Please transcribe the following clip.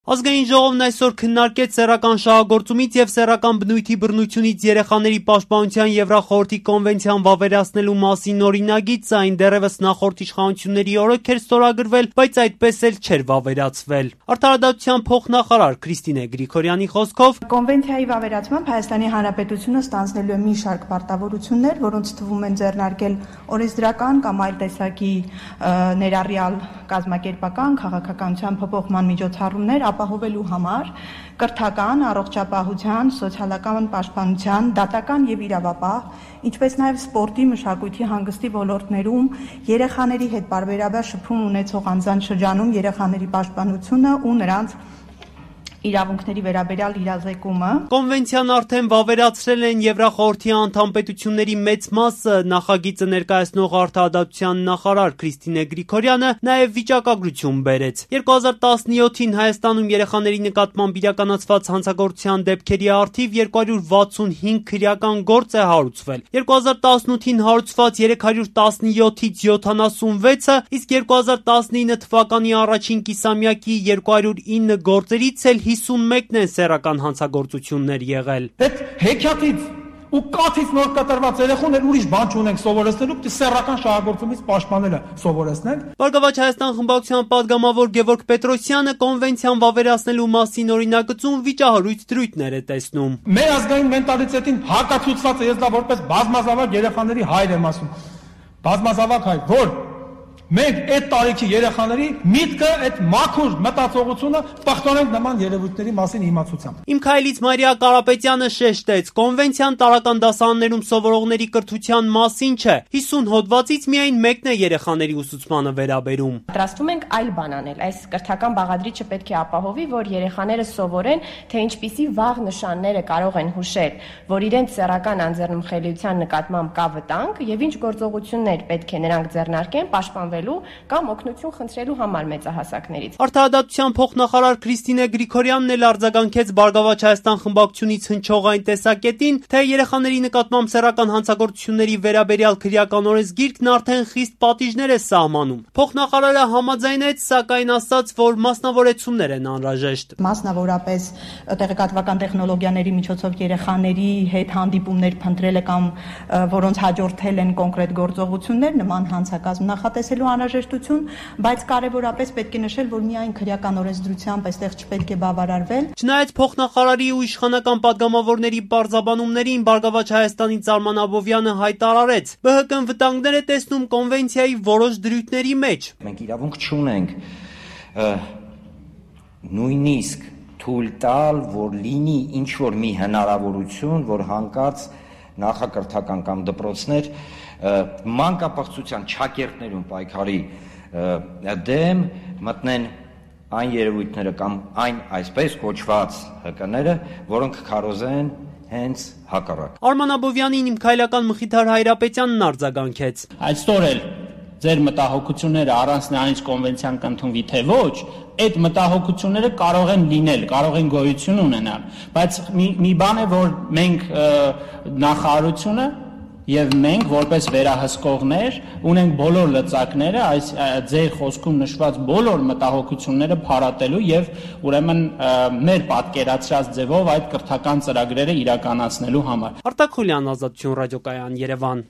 Ազգային ժողովն այսօր քննարկեց սեռական շահագործումից և սեռական բնույթի բռնությունից երեխաների պաշտպանության Եվրախորհրդի կոնվենցիան վավերացնելու մասին օրինագիծը, այն դեռևս նախորդ իշխանությունների օրոք էր ստորագրվել, բայց այդպես էլ չէր վավերացվել։ Արդարադատության փոխնախարար Քրիստինե Գրիգորյանի խոսքով կոնվենցիայի վավերացմամբ Հայաստանի Հանրապետությունը ստանձնելու է մի շարք պարտավորություններ, որոնց թվում են ձեռնարկել օրենսդրական կամ այլ տեսակի ներառյալ կազմակերպական քաղաքականության փոփոխման միջոցառումներ ապահովելու համար կրթական, առողջապահության, սոցիալական պաշտպանության, դատական եւ իրավապահ, ինչպես նաեւ սպորտի, մշակույթի, հանգստի ոլորտներում երեխաների հետ պարբերաբար շփում ունեցող անձանց շրջանում երեխաների պաշտպանությունը ու նրանց իրավունքների վերաբերյալ իրազեկումը։ Կոնվենցիան արդեն վավերացրել են Եվրախորհրդի անդամ պետությունների մեծ մասը, նախագիծը ներկայացնող արդարադատության նախարար Քրիստինե Գրիգորյանը նաև վիճակագրություն բերեց։ 2017-ին Հայաստանում երեխաների նկատմամբ իրականացված հանցագործության դեպքերի առթիվ 265 քրեական գործ է հարուցվել։ 2018-ին հարուցված 317-ից 76-ը, իսկ 2019 թվականի առաջին կիսամյակի 209 գործերից էլ 51-ն են սեռական հանցագործություններ եղել։ Այդ հեքիաթից ու կաթից նոր կտրված երեխաներ ուրիշ բան չունենք սովորեցնելու, պիտի սեռական շահագործումից պաշտպանելը սովորեցնենք։ Բարգավաճ Հայաստան խմբակցության պատգամավոր Գևորգ Պետրոսյանը կոնվենցիան վավերացնելու մասին օրինագծում վիճահարույց դրույթներ է տեսնում։ Մեր ազգային մենտալիտետին հակացուցված է, ես դա որպես բազմազավակ երեխաների հայր եմ ասում։ Բազմազավակ հայր, որ մենք այդ տարիքի երեխաների միտքը, այդ մաքուր մտածողությունը պահպանենք նման երևույթների մասին իմացությամբ։ Իմ քայլից Մարիա Կարապետյանը շեշտեց, կոնվենցիան տարրական դասարաններում սովորողների կրթության մասին չէ, 50 հոդվածից միայն մեկն է երեխաների ուսուցմանը վերաբերում։ Պատրաստվում ենք այլ բան անել, այս կրթական բաղադրիչը պետք է ապահովի, որ երեխաները սովորեն, թե ինչպիսի վաղ նշանները կարող են հուշել, որ իրենց սեռական անձեռնմխելիության նկատմամբ կա վտանգ եւ ինչ գործողություններ պետք է նրանք ձեռնարկեն պաշտպանվելու կամ օգնություն խնդրելու համար մեծահասակներից։ Արդարադատության փոխնախարար Քրիստինե Գրիգորյանն էլ արձագանքեց Բարգավաճ Հայաստան խմբակցությունից հնչող այն տեսակետին, թե երեխաների նկատմամբ սեռական հանցագործությունների վերաբերյալ քրեական օրենսգիրքն արդեն խիստ պատիժներ է սահմանում։ Փոխնախարարը համաձայնեց, սակայն ասաց, որ մասնավորեցումներ են անհրաժեշտ։ Մասնավորապես տեղեկատվական տեխնոլոգիաների միջոցով երեխաների հետ հանդիպումներ փնտրելը կամ որոնց հաջորդել են կոնկրետ գործողություններ նման հանցակազմ նախատեսելու անհրաժեշտություն, բայց կարևորապես պետք է նշել, որ միայն քրեական օրենսդրությամբ այստեղ չպետք է բավարարվել։ Չնայած փոխնախարարի ու իշխանական պատգամավորների պարզաբանումներին, Բարգավաճ Հայաստանից Արման Աբովյանը հայտարարեց, ԲՀԿ-ն վտանգներ է տեսնում կոնվենցիայի որոշ դրույթների մեջ։ Մենք իրավունք չունենք նույնիսկ թույլ տալ, որ լինի ինչ-որ մի հնարավորություն, որ հանկարծ նախակրթական կամ դպրոցներ մանկապարտության չակերտներում պայքարի դեմ մտնեն այն երևույթները կամ այն այսպես կոչված ՀԿ-ները, որոնք քարոզեն հենց հակառակ։ Արման Աբովյանին իմ քայլական Մխիթար Հայրապետյանն արձագանքեց։ Այսօր էլ ձեր մտահոգությունները առանց նրանից կոնվենցիան կընդունվի թե ոչ, այդ մտահոգությունները կարող են լինել, կարող են գոյություն ունենալ, բայց մի բան է, որ մենք նախարարությունը եւ մենք որպես վերահսկողներ ունենք բոլոր լծակները այս ձեր խոսքում նշված բոլոր մտահոգությունները փարատելու եւ ուրեմն մեր պատկերացրած ձևով այդ կրթական ծրագրերը իրականացնելու համար։ Արտակ Խուլյան, Ազատություն ռադիոկայան, Երևան։